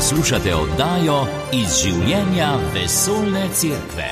Poslušate oddajo Iz življenja vesoljne cerkve.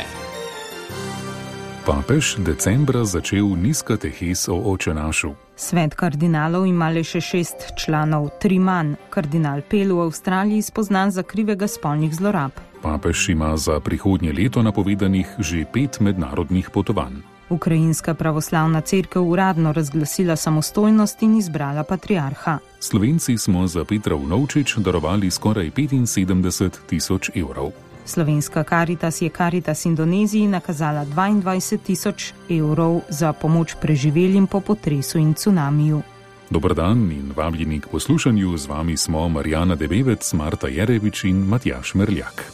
Papež decembra začel nizkatehes o očenašu. Svet kardinalov ima le še 6 članov, 3 manj. Kardinal Pell v Avstraliji spoznan za krivega spolnih zlorab. Papež ima za prihodnje leto napovedanih že 5 mednarodnih potovanj. Ukrajinska pravoslavna cerkev uradno razglasila samostojnost in izbrala patriarha. Slovenci smo za Petra Vnovčič darovali skoraj 75.000 evrov. Slovenska Karitas je Karitas Indoneziji nakazala 22.000 evrov za pomoč preživelim po potresu in cunamiju. Dober dan in vabljeni k poslušanju, z vami smo Marjana Debevec, Marta Jerevič in Matjaž Merljak.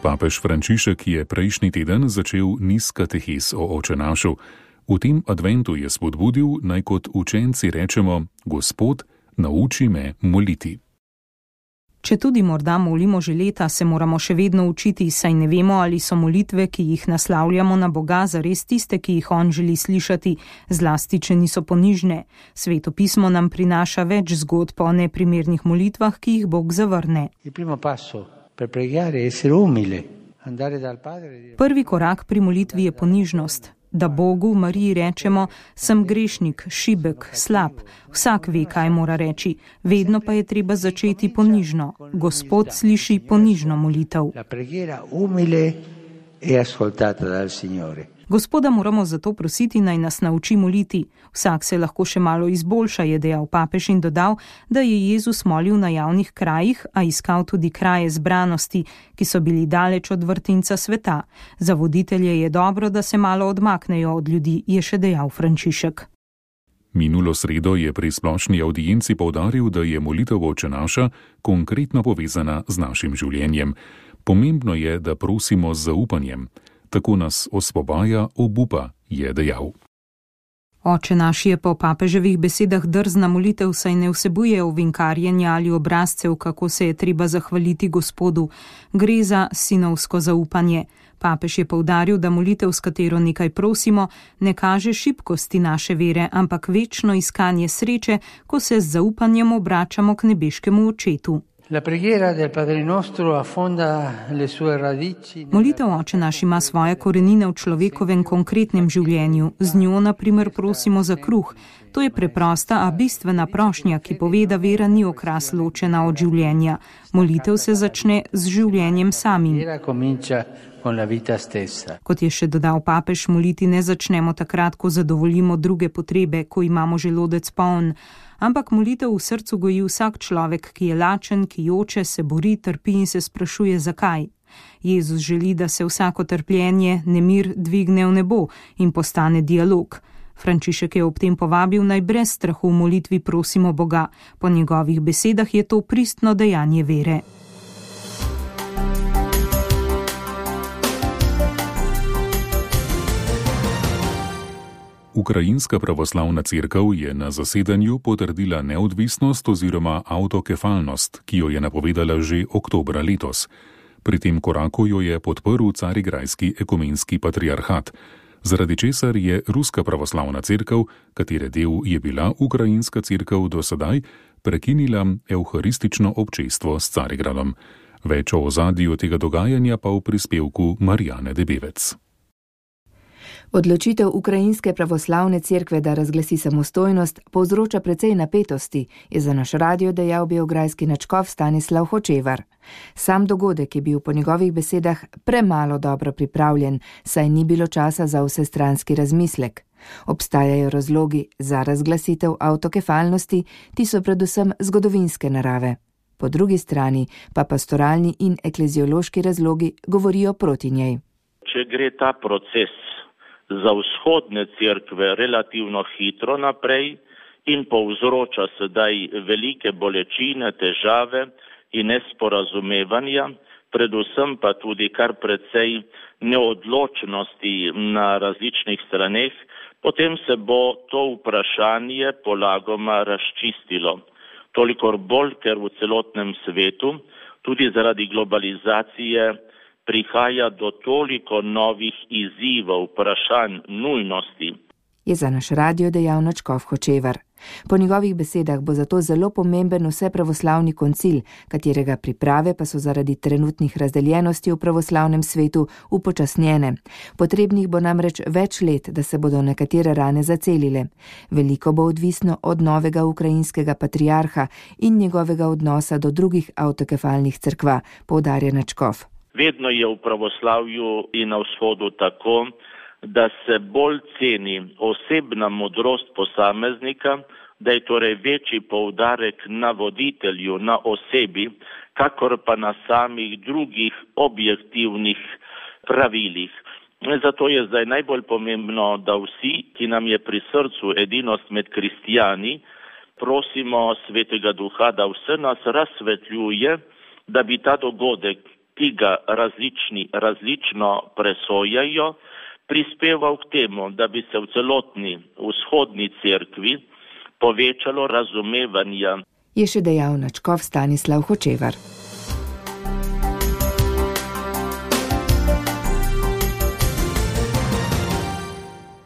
Papež Frančišek je prejšnji teden začel nizkatehes o očenašu. V tem adventu je spodbudil, naj kot učenci rečemo: Gospod, nauči me moliti. Če tudi morda molimo že leta, se moramo še vedno učiti, saj ne vemo, ali so molitve, ki jih naslavljamo na Boga, zares tiste, ki jih on želi slišati, zlasti, če niso ponižne. Sveto pismo nam prinaša več zgodb o neprimernih molitvah, ki jih Bog zavrne. Prvi korak pri molitvi je ponižnost. Da Bogu, Mariji rečemo: sem grešnik, šibek, slab. Vsak ve, kaj mora reči. Vedno pa je treba začeti ponižno. Gospod sliši ponižno molitev. Gospoda moramo zato prositi, naj nas nauči moliti. Vsak se lahko še malo izboljša, je dejal papež in dodal, da je Jezus molil na javnih krajih, a iskal tudi kraje zbranosti, ki so bili daleč od vrtinca sveta. Za voditelje je dobro, da se malo odmaknejo od ljudi, je še dejal Frančišek. Minulo sredo je pri splošni avdienci poudaril, da je molitev očenaša konkretno povezana z našim življenjem. Pomembno je, da prosimo z zaupanjem. Tako nas osvobaja obupa, je dejal. Oče naš je po papeževih besedah drzna molitev, saj ne vsebuje ovinkarjenja ali obrazcev, kako se je treba zahvaliti Gospodu. Gre za sinovsko zaupanje. Papež je poudaril, da molitev, s katero nekaj prosimo, ne kaže šibkosti naše vere, ampak večno iskanje sreče, ko se z zaupanjem obračamo k nebeškemu Očetu. Molitev Oče naš ima svoje korenine v človekovem konkretnem življenju. Z njo, na primer, prosimo za kruh. To je preprosta, a bistvena prošnja, ki pove, da vera ni okras ločena od življenja. Molitev se začne z življenjem samim. Kot je še dodal papež, moliti ne začnemo takrat, ko zadovoljimo druge potrebe, ko imamo želodec poln. Ampak molitev v srcu goji vsak človek, ki je lačen, ki joče, se bori, trpi in se sprašuje, zakaj. Jezus želi, da se vsako trpljenje, nemir dvigne v nebo in postane dialog. Frančišek je ob tem povabil, naj brez strahu v molitvi prosimo Boga. Po njegovih besedah je to pristno dejanje vere. Ukrajinska pravoslavna cerkev je na zasedanju potrdila neodvisnost oziroma avtokefalnost, ki jo je napovedala že oktobra letos. Pri tem koraku jo je podprl Carigrajski ekumenski patriarhat, zaradi česar je Ruska pravoslavna cerkev, katere del je bila Ukrajinska cerkev do sedaj, prekinila evharistično občestvo s Carigradom. Več o ozadju tega dogajanja pa v prispevku Marjane Debevec. Odločitev Ukrajinske pravoslavne cerkve, da razglasi samostojnost, povzroča precej napetosti, je za naš radio dejal beograjski nadškof Stanislav Hočevar. Sam dogodek je bil po njegovih besedah premalo dobro pripravljen, saj ni bilo časa za vsestranski razmislek. Obstajajo razlogi za razglasitev avtokefalnosti, ti so predvsem zgodovinske narave. Po drugi strani pa pastoralni in ekleziološki razlogi govorijo proti njej. Če gre ta proces za vzhodne cerkve relativno hitro naprej in povzroča sedaj velike bolečine, težave in nesporazumevanja, predvsem pa tudi kar precej neodločnosti na različnih straneh, potem se bo to vprašanje polagoma razčistilo. Toliko bolj, ker v celotnem svetu, tudi zaradi globalizacije, prihaja do toliko novih izzivov, vprašanj, nujnosti. Je za naš radio dejal nadškof Hočevar. Po njegovih besedah bo zato zelo pomemben vsepravoslavni koncil, katerega priprave pa so zaradi trenutnih razdeljenosti v pravoslavnem svetu upočasnjene. Potrebnih bo namreč več let, da se bodo nekatere rane zacelile. Veliko bo odvisno od novega ukrajinskega patriarha in njegovega odnosa do drugih avtokefalnih cerkva, poudarja Načkov. Vedno je v pravoslavju in na vzhodu tako, da se bolj ceni osebna modrost posameznika, da je torej večji poudarek na voditelju, na osebi, kakor pa na samih drugih objektivnih pravilih. Zato je zdaj najbolj pomembno, da vsi, ki nam je pri srcu edinost med kristijani, prosimo Svetega Duha, da vse nas razsvetljuje, da bi ta dogodek, ki ga različno presojajo, prispeval k temu, da bi se v celotni vzhodni cerkvi povečalo razumevanja. Je še dejal Načkov Stanislav Hočevar.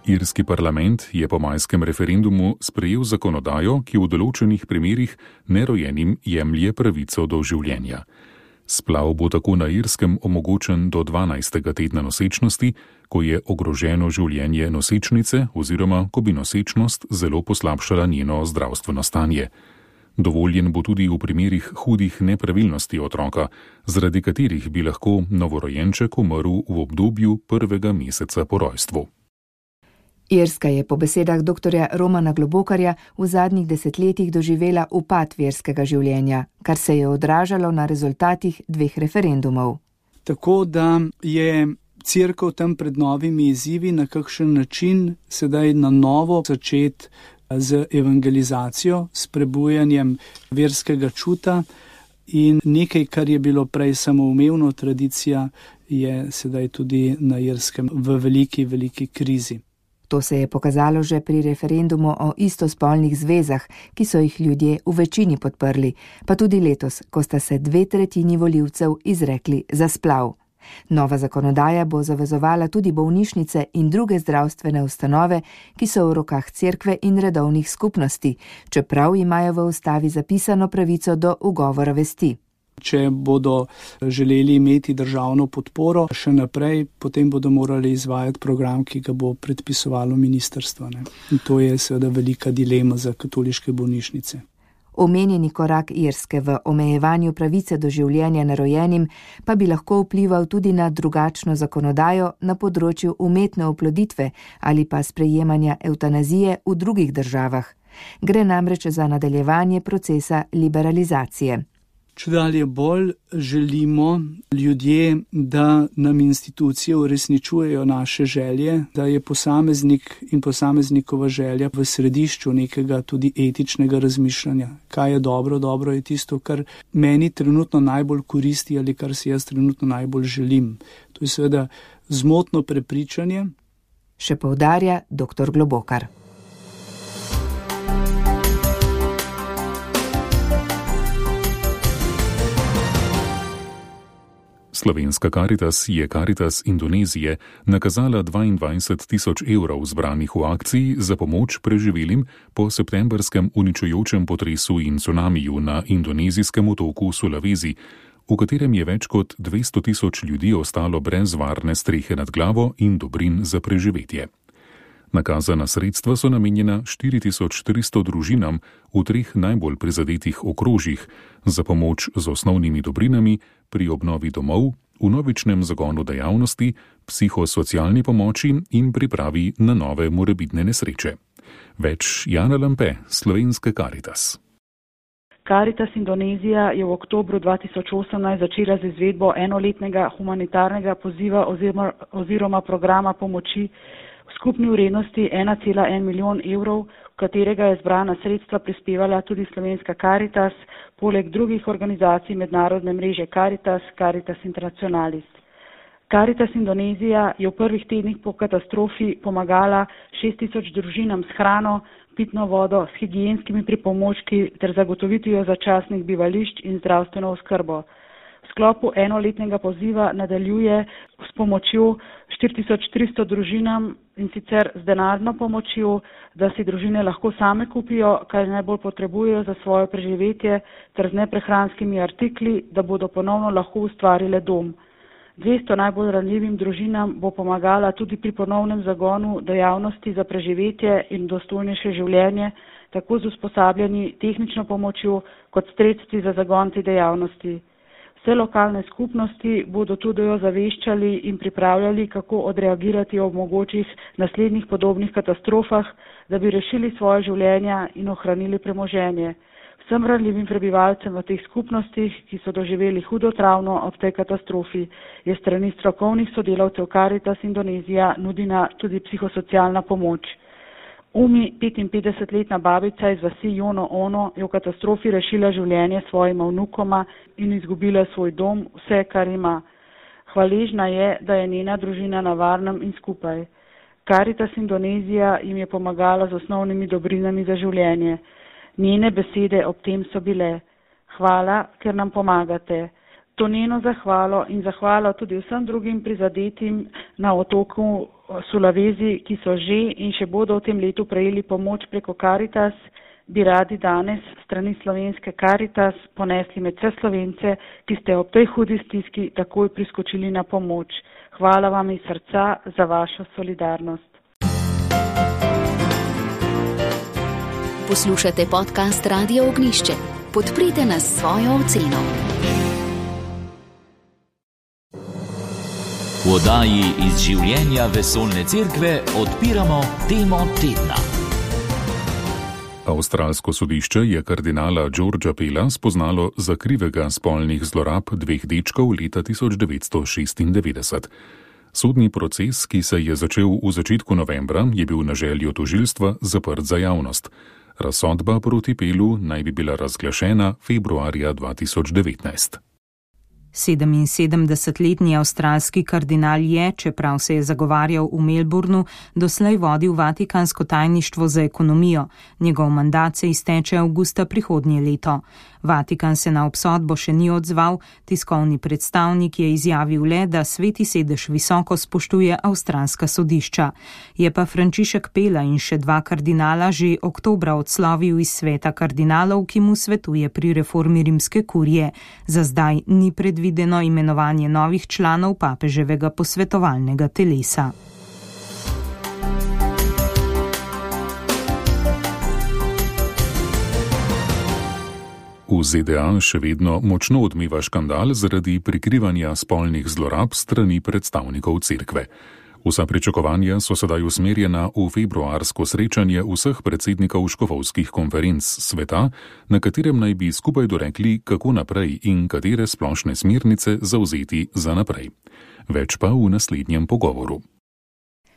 Irski parlament je po majskem referendumu sprejel zakonodajo, ki v določenih primerih nerojenim jemlje pravico do življenja. Splav bo tako na Irskem omogočen do 12. tedna nosečnosti, ko je ogroženo življenje nosečnice oziroma ko bi nosečnost zelo poslabšala njeno zdravstveno stanje. Dovoljen bo tudi v primerih hudih nepravilnosti otroka, zaradi katerih bi lahko novorojenček umrl v obdobju prvega meseca po rojstvu. Irska je po besedah dr. Romana Globokarja v zadnjih desetletjih doživela upad verskega življenja, kar se je odražalo na rezultatih 2 referendumov. Tako da je cerkev tam pred novimi izzivi na kakšen način sedaj na novo začeti z evangelizacijo, s prebujanjem verskega čuta in nekaj, kar je bilo prej samoumevno, tradicija, je sedaj tudi na Irskem v veliki krizi. To se je pokazalo že pri referendumu o istospolnih zvezah, ki so jih ljudje v večini podprli, pa tudi letos, ko sta se 2/3 volivcev izrekli za splav. Nova zakonodaja bo zavezovala tudi bolnišnice in druge zdravstvene ustanove, ki so v rokah cerkve in redovnih skupnosti, čeprav imajo v ustavi zapisano pravico do ugovora vesti. Če bodo želeli imeti državno podporo še naprej, potem bodo morali izvajati program, ki ga bo predpisovalo ministrstvo. In to je seveda velika dilema za katoliške bolnišnice. Omenjeni korak Irske v omejevanju pravice do življenja nerojenim pa bi lahko vplival tudi na drugačno zakonodajo na področju umetne oploditve ali pa sprejemanja evtanazije v drugih državah. Gre namreč za nadaljevanje procesa liberalizacije. Čedalje bolj želimo ljudje, da nam institucije uresničujejo naše želje, da je posameznik in posameznikova želja v središču nekega tudi etičnega razmišljanja. Kaj je dobro? Dobro je tisto, kar meni trenutno najbolj koristi ali kar si jaz trenutno najbolj želim. To je seveda zmotno prepričanje. Še poudarja dr. Globokar. Slovenska Karitas je Karitas Indonezije nakazala 22.000 evrov zbranih v akciji za pomoč preživelim po septembrskem uničujočem potresu in cunamiju na indonezijskem otoku Sulawesi, v katerem je več kot 200.000 ljudi ostalo brez varne strehe nad glavo in dobrin za preživetje. Nakazana sredstva so namenjena 4.300 družinam v 3 najbolj prizadetih okrožjih za pomoč z osnovnimi dobrinami pri obnovi domov, vnovičnem zagonu dejavnosti, psihosocialni pomoči in pripravi na nove morebitne nesreče. Več Jana Lampe, Slovenska Karitas. Karitas Indonezija je v oktobru 2018 začela z izvedbo enoletnega humanitarnega poziva oziroma programa pomoči v skupni vrednosti 1,1 milijon evrov, v katerega je zbrana sredstva prispevala tudi Slovenska Karitas, poleg drugih organizacij mednarodne mreže Karitas, Caritas Internationalis. Karitas Indonezija je v prvih tednih po katastrofi pomagala 6.000 družinam s hrano, pitno vodo, s higienskimi pripomočki ter zagotovitvijo začasnih bivališč in zdravstveno oskrbo. V sklopu enoletnega poziva nadaljuje s pomočjo 4300 družinam in sicer z denarno pomočjo, da si družine lahko same kupijo, kaj najbolj potrebujejo za svoje preživetje, ter z neprehranskimi artikli, da bodo ponovno lahko ustvarile dom. 200 najbolj ranljivim družinam bo pomagala tudi pri ponovnem zagonu dejavnosti za preživetje in dostojnejše življenje, tako z usposabljanji, tehnično pomočjo kot sredstvi za zagon te dejavnosti. Vse lokalne skupnosti bodo tudi ozaveščali in pripravljali, kako odreagirati ob mogočih naslednjih podobnih katastrofah, da bi rešili svoje življenja in ohranili premoženje. Vsem ranljivim prebivalcem v teh skupnostih, ki so doživeli hudo travmo ob tej katastrofi, je strani strokovnih sodelavcev Caritas Indonezija nudena tudi psihosocialna pomoč. Umi, 55-letna babica iz vasi Jono Ono, je v katastrofi rešila življenje svojima vnukoma in izgubila svoj dom, vse, kar ima. Hvaležna je, da je njena družina na varnem in skupaj. Caritas Indonezija jim je pomagala z osnovnimi dobrinami za življenje. Njene besede ob tem so bile: hvala, ker nam pomagate. To njeno zahvalo in zahvalo tudi vsem drugim prizadetim na otoku Sulawesi, ki so že in še bodo v tem letu prejeli pomoč preko Caritas, bi radi danes strani slovenske Caritas ponesli med vse Slovence, ki ste ob tej hudi stiski takoj priskočili na pomoč. Hvala vam iz srca za vašo solidarnost. Poslušate podcast Radio Ognjišče. Podprite nas s svojo oceno. V oddaji iz življenja vesoljne cerkve odpiramo temo tedna. Avstralsko sodišče je kardinala Georgea Pella spoznalo za krivega spolnih zlorab 2 dečkov leta 1996. Sodni proces, ki se je začel v začetku novembra, je bil na željo tožilstva zaprt za javnost. Razsodba proti Pellu naj bi bila razglašena februarja 2019. 77-letni avstralski kardinal je, čeprav se je zagovarjal v Melbournu, doslej vodil Vatikansko tajništvo za ekonomijo. Njegov mandat se izteče avgusta prihodnje leto. Vatikan se na obsodbo še ni odzval, tiskovni predstavnik je izjavil le, da Sveti sedež visoko spoštuje avstralska sodišča. Je pa Frančišek Pella in še 2 kardinala že oktobra odslovil iz sveta kardinalov, ki mu svetuje pri reformi rimske kurije. Za zdaj ni predvideno imenovanje novih članov papeževega posvetovalnega telesa. V ZDA še vedno močno odmeva škandal zaradi prikrivanja spolnih zlorab strani predstavnikov cerkve. Vsa pričakovanja so sedaj usmerjena v februarsko srečanje vseh predsednikov škofovskih konferenc sveta, na katerem naj bi skupaj dorekli, kako naprej in katere splošne smernice zavzeti za naprej. Več pa v naslednjem pogovoru.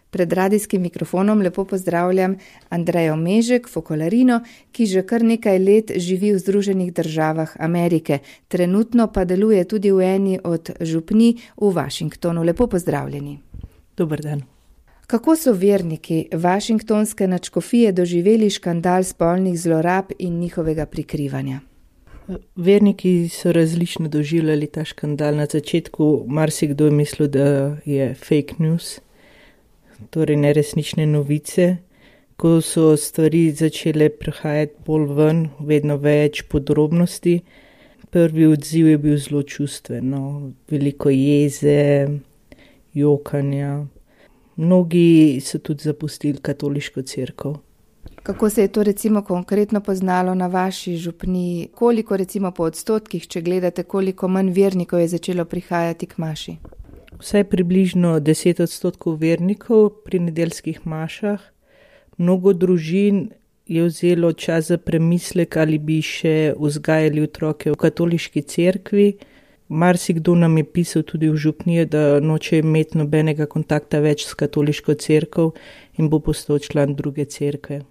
Pred radijskim mikrofonom lepo pozdravljam Andrejo Mežek, fokolarino, ki že kar nekaj let živi v Združenih državah Amerike. Trenutno pa deluje tudi v eni od župnij v Washingtonu. Lepo pozdravljeni. Dober dan. Kako so verniki Washingtonske nadškofije doživeli škandal spolnih zlorab in njihovega prikrivanja? Verniki so različno doživljali ta škandal. Na začetku marsikdo je mislil, da je fake news, torej neresnične novice. Ko so stvari začele prihajati bolj ven, vedno več podrobnosti, prvi odziv je bil zelo čustven, veliko jeze, jokanja. Mnogi so tudi zapustili katoliško cerkev. Kako se je to recimo konkretno poznalo na vaši župniji? Koliko recimo po odstotkih, če gledate, koliko manj vernikov je začelo prihajati k maši? Vsaj približno 10% vernikov pri nedeljskih mašah. Mnogo družin je vzelo čas za premislek, ali bi še vzgajali otroke v katoliški cerkvi. Marsikdo nam je pisal tudi v župniji, da noče imeti nobenega kontakta več s katoliško cerkev in bo postal član druge cerkve.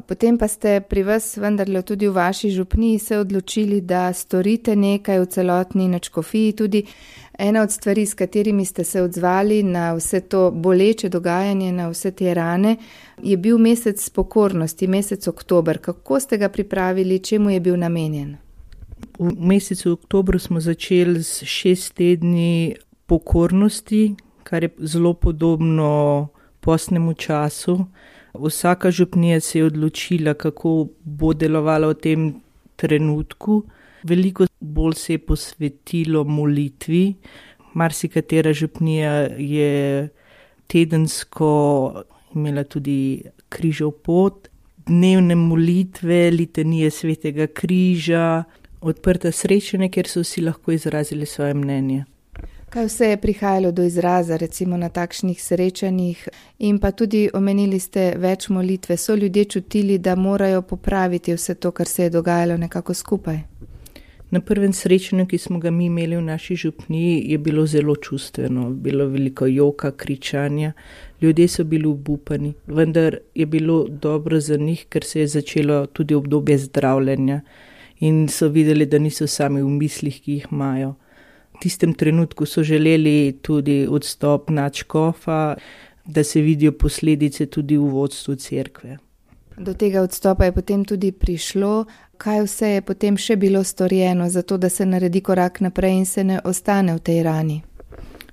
Potem pa ste pri vas vendarle tudi v vaši župniji se odločili, da storite nekaj v celotni nadškofiji. Tudi ena od stvari, s katerimi ste se odzvali na vse to boleče dogajanje, na vse te rane, je bil mesec pokornosti, mesec oktober. Kako ste ga pripravili, čemu je bil namenjen? V mesecu oktobru smo začeli s 6 tedni pokornosti, kar je zelo podobno postnemu času. Vsaka župnija se je odločila, kako bo delovala v tem trenutku. Veliko bolj se je posvetilo molitvi. Marsikatera župnija je tedensko imela tudi križev pot, dnevne molitve, litanije svetega križa, odprta srečanja, kjer so vsi lahko izrazili svoje mnenje. Kaj vse je prihajalo do izraza, recimo na takšnih srečanjih, in pa tudi omenili ste več molitve. So ljudje čutili, da morajo popraviti vse to, kar se je dogajalo nekako skupaj? Na prvem srečanju, ki smo ga mi imeli v naši župniji, je bilo zelo čustveno, bilo veliko joka, kričanja, ljudje so bili obupani, vendar je bilo dobro za njih, ker se je začelo tudi obdobje zdravljenja in so videli, da niso sami v mislih, ki jih imajo. V tistem trenutku so želeli tudi odstop nadškofa, da se vidijo posledice tudi v vodstvu cerkve. Do tega odstopa je potem tudi prišlo. Kaj vse je potem še bilo storjeno za to, da se naredi korak naprej in se ne ostane v tej rani?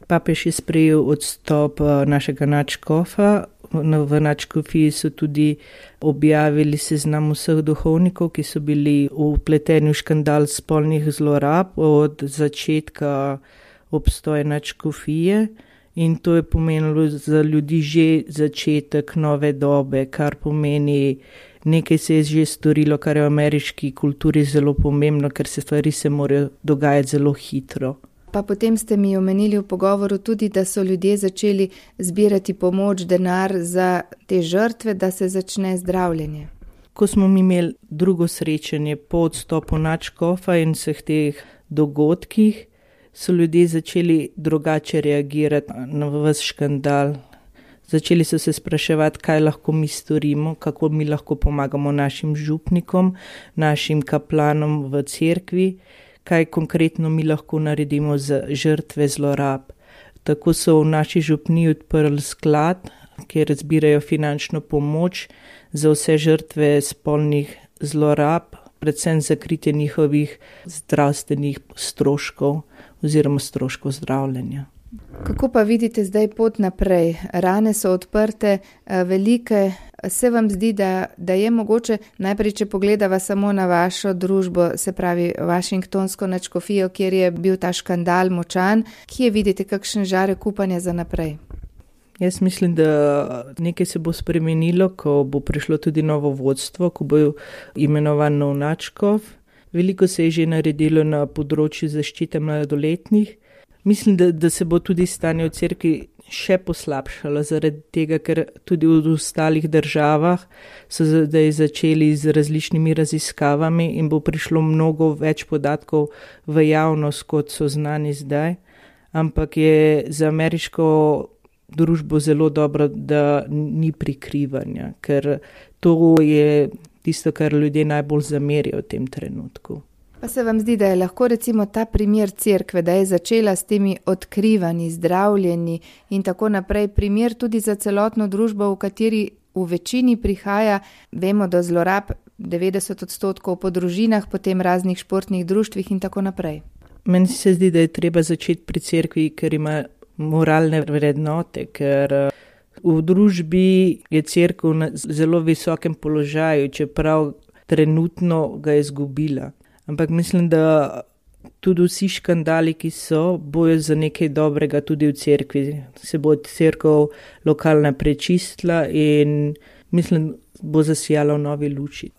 Papež je sprejel odstop našega nadškofa. V nadškofiji so tudi objavili seznam vseh duhovnikov, ki so bili vpleteni v škandal spolnih zlorab od začetka obstoja nadškofije. In to je pomenilo za ljudi že začetek nove dobe, kar pomeni, nekaj se je že storilo, kar je v ameriški kulturi zelo pomembno, ker se stvari se morajo dogajati zelo hitro. Pa potem ste mi omenili v pogovoru tudi, da so ljudje začeli zbirati pomoč, denar za te žrtve, da se začne zdravljenje. Ko smo mi imeli drugo srečanje po odstopu nadškofa in vseh teh dogodkih, so ljudje začeli drugače reagirati na ves škandal. Začeli so se spraševati, kaj lahko mi storimo, kako mi lahko pomagamo našim župnikom, našim kaplanom v cerkvi, kaj konkretno mi lahko naredimo za žrtve zlorab. Tako so v naši župniji odprli sklad, kjer zbirajo finančno pomoč za vse žrtve spolnih zlorab, predvsem za kritje njihovih zdravstvenih stroškov oziroma stroškov zdravljenja. Kako pa vidite zdaj pot naprej? Rane so odprte, velike. Se vam zdi, da je mogoče, najprej če pogledava samo na vašo družbo, se pravi Washingtonsko nadškofijo, kjer je bil ta škandal močan, kje vidite kakšen žarek upanja za naprej? Jaz mislim, da nekaj se bo spremenilo, ko bo prišlo tudi novo vodstvo, ko bo imenovan nov nadškof. Veliko se je že naredilo na področju zaščite mladoletnih. Mislim, da se bo tudi stanje v cerkvi še poslabšalo zaradi tega, ker tudi v ostalih državah so zdaj začeli z različnimi raziskavami in bo prišlo mnogo več podatkov v javnost, kot so znani zdaj. Ampak je za ameriško družbo zelo dobro, da ni prikrivanja, ker to je tisto, kar ljudje najbolj zamerijo v tem trenutku. Pa se vam zdi, da je lahko recimo ta primer cerkve, da je začela s temi odkrivanji, zdravljenji in tako naprej, primer tudi za celotno družbo, v kateri v večini prihaja, vemo, do zlorab 90% po družinah, potem raznih športnih društvih in tako naprej. Meni se zdi, da je treba začeti pri cerkvi, ker ima moralne vrednote, ker v družbi je cerkev na zelo visokem položaju, čeprav trenutno ga je izgubila. Ampak mislim, da tudi vsi škandali, ki so, bojo za nekaj dobrega tudi v cerkvi. Se bo cerkev lokalna prečistila in mislim, bo zasijala v novi luči.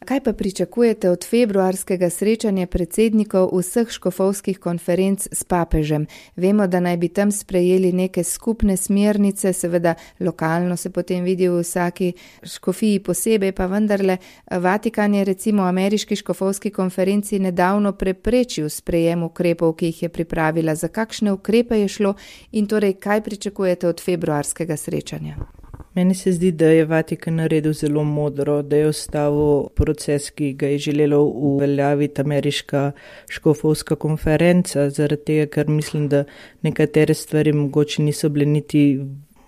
Kaj pa pričakujete od februarskega srečanja predsednikov vseh škofovskih konferenc s papežem? Vemo, da naj bi tam sprejeli neke skupne smernice, seveda lokalno se potem vidi v vsaki škofiji posebej, pa vendarle Vatikan je recimo ameriški škofovski konferenci nedavno preprečil sprejem ukrepov, ki jih je pripravila. Za kakšne ukrepe je šlo in torej kaj pričakujete od februarskega srečanja? Meni se zdi, da je Vatikan naredil zelo modro, da je ustavil proces, ki ga je želela uveljaviti ameriška škofovska konferenca, zaradi tega, ker mislim, da nekatere stvari mogoče niso bile niti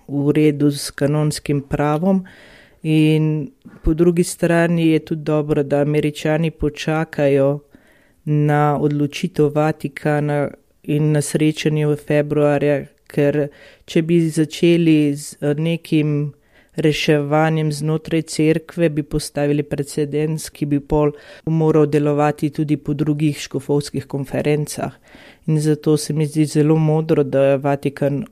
v redu s kanonskim pravom. In po drugi strani je tudi dobro, da Američani počakajo, na odločitev Vatikana in na srečanje v februarja, ker če bi začeli z nekim reševanjem znotraj cerkve, bi postavili precedens, ki bi pol moral delovati tudi po drugih škofovskih konferencah. In zato se mi zdi zelo modro, da je Vatikan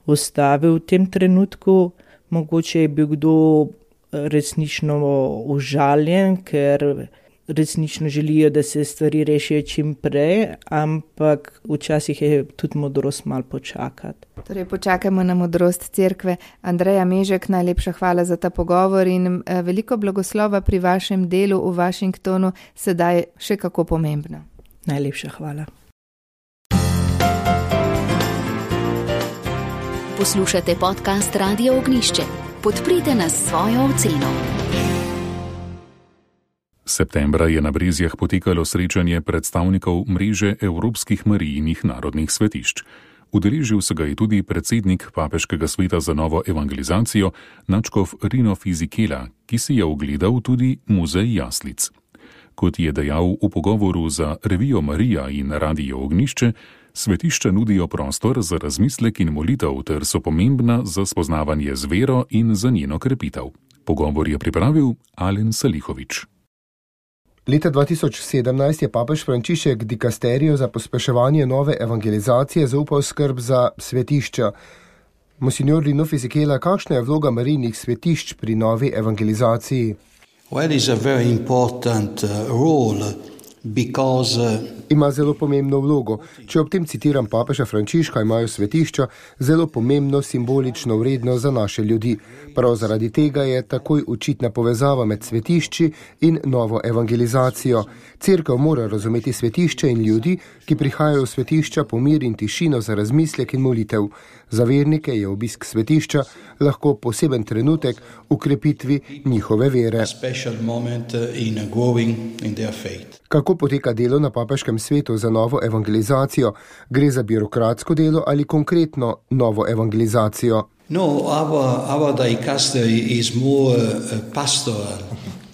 ustavil v tem trenutku. Mogoče je bil kdo resnično užaljen, ker resnično želijo, da se stvari rešijo čim prej, ampak včasih je tudi modrost malo počakati. Torej, počakajmo na modrost cerkve. Andreja Mežek, najlepša hvala za ta pogovor in veliko blagoslova pri vašem delu v Washingtonu, sedaj še kako pomembno. Najlepša hvala. Poslušate podcast Radio Ognišče. Podprite nas s svojo oceno. Septembra je na Brezjah potekalo srečanje predstavnikov mreže Evropskih Marijinih narodnih svetišč. Udeležil se ga je tudi predsednik Papeškega sveta za novo evangelizacijo, nadškof Rino Fisichella, ki si je ogledal tudi muzej jaslic. Kot je dejal v pogovoru za revijo Marija in Radio Ognišče, svetišča nudijo prostor za razmislek in molitev ter so pomembna za spoznavanje z vero in za njeno krepitev. Pogovor je pripravil Alen Salihovič. Leta 2017 je papež Frančišek dikasterijo za pospeševanje nove evangelizacije zaupal skrb za svetišča. Monsignor Rino Fisichella, kakšna je vloga Marijinih svetišč pri novi evangelizaciji? Well, it's a very important role because ima zelo pomembno vlogo. Če ob tem citiram papeža Frančiška, imajo svetišča zelo pomembno simbolično vrednost za naše ljudi. Prav zaradi tega je takoj očitna povezava med svetišči in novo evangelizacijo. Cerkev mora razumeti svetišče in ljudi, ki prihajajo v svetišča po mir in tišino za razmislek in molitev. Za vernike je obisk svetišča lahko poseben trenutek v krepitvi njihove vere. Kako poteka delo na papeškem svetu za novo evangelizacijo? Gre za birokratsko delo ali konkretno novo evangelizacijo? No, our dicastery is more pastoral.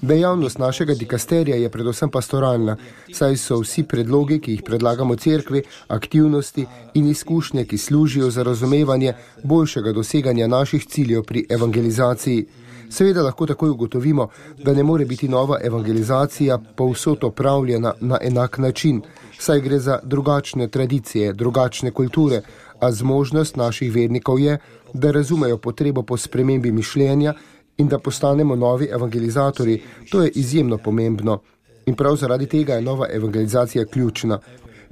Dejavnost našega dikasterija je predvsem pastoralna, saj so vsi predlogi, ki jih predlagamo cerkvi, aktivnosti in izkušnje, ki služijo za razumevanje boljšega doseganja naših ciljev pri evangelizaciji. Seveda lahko takoj ugotovimo, da ne more biti nova evangelizacija povsod opravljena na enak način, saj gre za drugačne tradicije, drugačne kulture, a zmožnost naših vernikov je, da razumejo potrebo po spremembi mišljenja in da postanemo novi evangelizatorji. To je izjemno pomembno. In prav zaradi tega je nova evangelizacija ključna.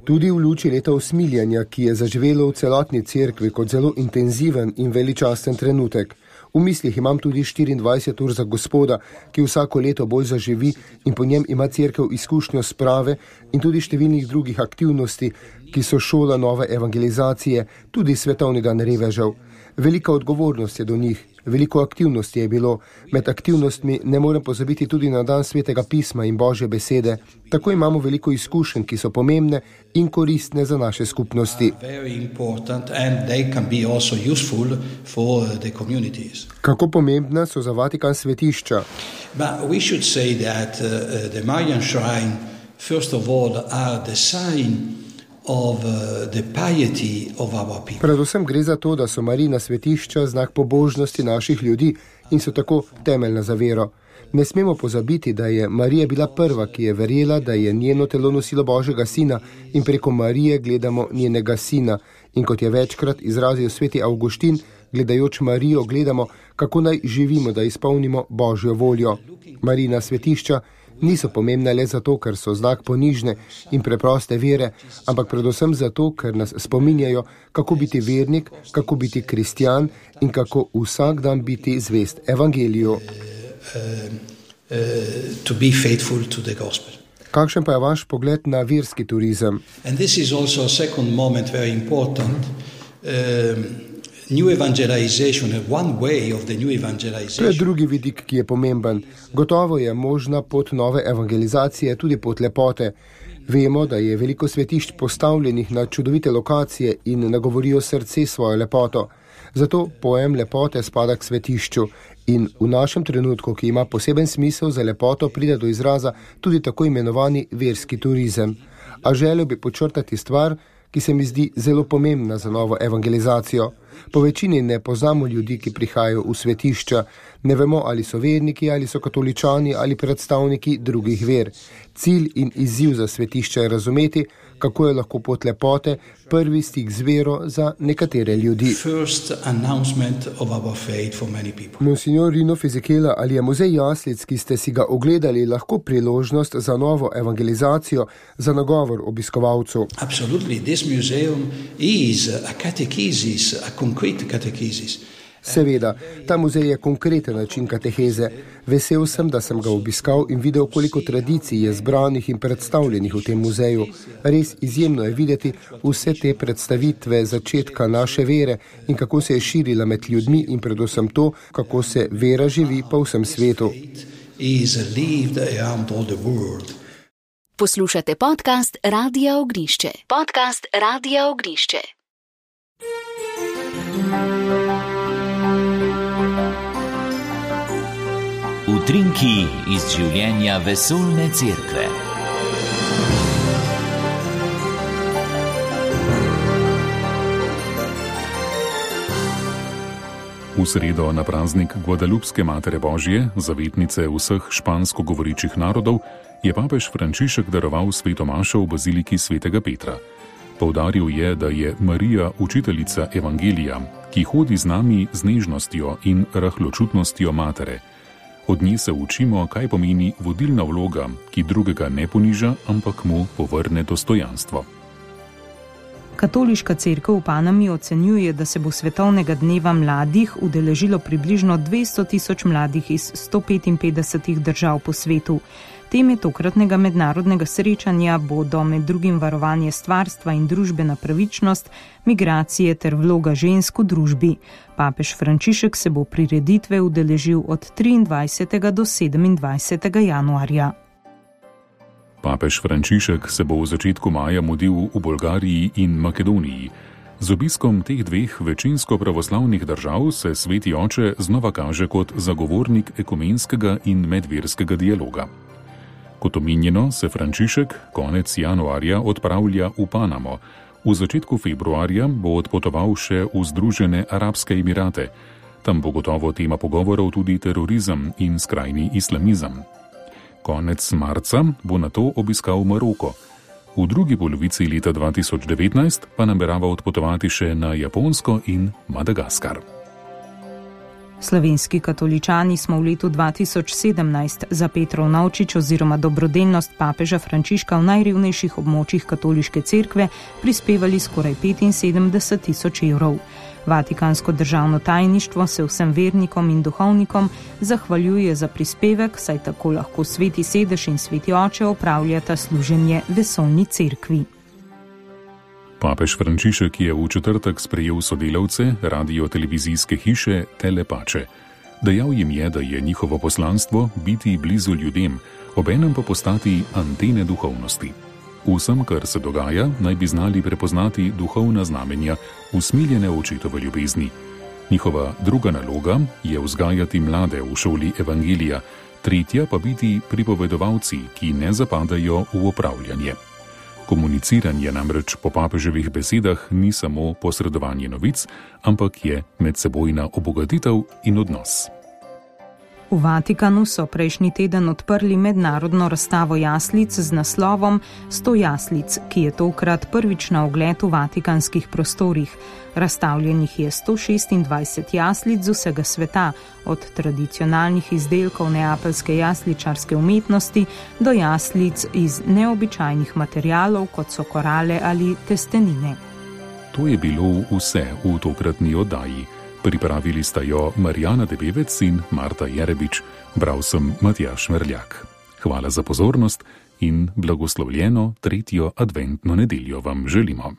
Tudi v luči leta usmiljanja, ki je zaživelo v celotni cerkvi kot zelo intenziven in veličasten trenutek. V mislih imam tudi 24 ur za Gospoda, ki vsako leto bolj zaživi in po njem ima cerkev izkušnjo sprave in tudi številnih drugih aktivnosti, ki so šola nove evangelizacije, tudi svetovni dan revežev. Velika odgovornost je do njih, veliko aktivnosti je bilo. Med aktivnostmi ne morem pozabiti tudi na dan Svetega pisma in Božje besede. Tako imamo veliko izkušenj, ki so pomembne in koristne za naše skupnosti. Kako pomembna so za Vatikan svetišča? Predvsem gre za to, da so Marijina svetišča znak pobožnosti naših ljudi in so tako temeljna za vero. Ne smemo pozabiti, da je Marija bila prva, ki je verjela, da je njeno telo nosilo Božjega sina in preko Marije gledamo njenega sina. In kot je večkrat izrazil sveti Avguštin, gledajoč Marijo gledamo, kako naj živimo, da izpolnimo Božjo voljo. Marijina svetišča niso pomembne le zato, ker so znak ponižne in preproste vere, ampak predvsem zato, ker nas spominjajo, kako biti vernik, kako biti kristjan in kako vsak dan biti zvest evangeliju. To be faithful to the gospel. Kakšen pa je vaš pogled na verski turizem? And this is also a second moment very important. New evangelization, one way of the new evangelization. To je drugi vidik, ki je pomemben. Gotovo je možna pot nove evangelizacije tudi pot lepote. Vemo, da je veliko svetišč postavljenih na čudovite lokacije in nagovorijo srce svojo lepoto. Zato pojem lepote spada k svetišču in v našem trenutku, ki ima poseben smisel za lepoto, pride do izraza tudi tako imenovani verski turizem. A želel bi podčrtati stvar, ki se mi zdi zelo pomembna za novo evangelizacijo. Po večini ne poznamo ljudi, ki prihajajo v svetišča. Ne vemo, ali so verniki, ali so katoličani, ali predstavniki drugih ver. Cilj in izziv za svetišča je razumeti, kako je lahko pot lepote prvi stik z vero za nekatere ljudi. Monsignor Rino Fisichella, ali je muzej jaslic, ki ste si ga ogledali, lahko priložnost za novo evangelizacijo, za nagovor obiskovalcu? Absolutely, this museum is a catechesis, a concrete catechesis. Seveda, ta muzej je konkreten način kateheze. Vesel sem, da sem ga obiskal in videl, koliko tradicij je zbranih in predstavljenih v tem muzeju. Res izjemno je videti vse te predstavitve začetka naše vere in kako se je širila med ljudmi in predvsem to, kako se vera živi po vsem svetu. Poslušate podcast Radia Ognišče. Podcast Radia Ognišče. Utrinki iz življenja vesoljne cerkve. V sredo na praznik Guadalupske Matere Božje, zavetnice vseh špansko govoričih narodov, je papež Frančišek daroval sveto mašo v baziliki svetega Petra. Poudaril je, da je Marija učiteljica evangelija, ki hodi z nami z nežnostjo in rahločutnostjo matere. Od nje se učimo, kaj pomeni vodilna vloga, ki drugega ne poniža, ampak mu povrne dostojanstvo. Katoliška cerkev v Panami ocenjuje, da se bo svetovnega dneva mladih udeležilo približno 200.000 mladih iz 155 držav po svetu. Teme tokratnega mednarodnega srečanja bodo med drugim varovanje stvarstva in družbena pravičnost, migracije ter vloga žensk v družbi. Papež Frančišek se bo prireditve udeležil od 23. do 27. januarja. Papež Frančišek se bo v začetku maja mudil v Bolgariji in Makedoniji. Z obiskom teh dveh večinsko pravoslavnih držav se Sveti Oče znova kaže kot zagovornik ekumenskega in medverskega dialoga. Kot omenjeno, se Frančišek konec januarja odpravlja v Panamo. V začetku februarja bo odpotoval še v Združene arabske emirate. Tam bo gotovo tema pogovorov tudi terorizem in skrajni islamizem. Konec marca bo nato obiskal Maroko. V drugi polovici leta 2019 pa namerava odpotovati še na Japonsko in Madagaskar. Slovenski katoličani smo v letu 2017 za Petrov Navčič oziroma dobrodelnost papeža Frančiška v najrevnejših območjih katoliške cerkve prispevali skoraj 75.000 evrov. Vatikansko državno tajništvo se vsem vernikom in duhovnikom zahvaljuje za prispevek, saj tako lahko Sveti Sedež in Sveti Oče opravljata služenje vesoljni cerkvi. Papež Frančišek je v četrtek sprejel sodelavce radio-televizijske hiše Telepače. Dejal jim je, da je njihovo poslanstvo biti blizu ljudem, obenem pa postati antene duhovnosti. Vsem, kar se dogaja, naj bi znali prepoznati duhovna znamenja usmiljene očetove ljubezni. Njihova druga naloga je vzgajati mlade v šoli evangelija, tretja pa biti pripovedovalci, ki ne zapadajo v opravljanje. Komuniciranje namreč po papeževih besedah ni samo posredovanje novic, ampak je medsebojna obogatitev in odnos. V Vatikanu so prejšnji teden odprli mednarodno razstavo jaslic z naslovom 100 jaslic, ki je tokrat prvič na ogled v vatikanskih prostorih. Razstavljenih je 126 jaslic z vsega sveta, od tradicionalnih izdelkov neapeljske jasličarske umetnosti do jaslic iz neobičajnih materialov, kot so korale ali testenine. To je bilo vse v tokratni oddaji. Pripravili sta jo Marjana Debevec in Marta Jerebič, bral sem Matjaž Merljak. Hvala za pozornost in blagoslovljeno 3. adventno nedeljo vam želimo.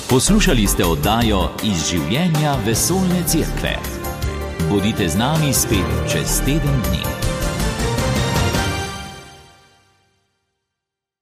Poslušali ste oddajo Iz življenja vesoljne cerkve. Bodite z nami spet čez teden dni.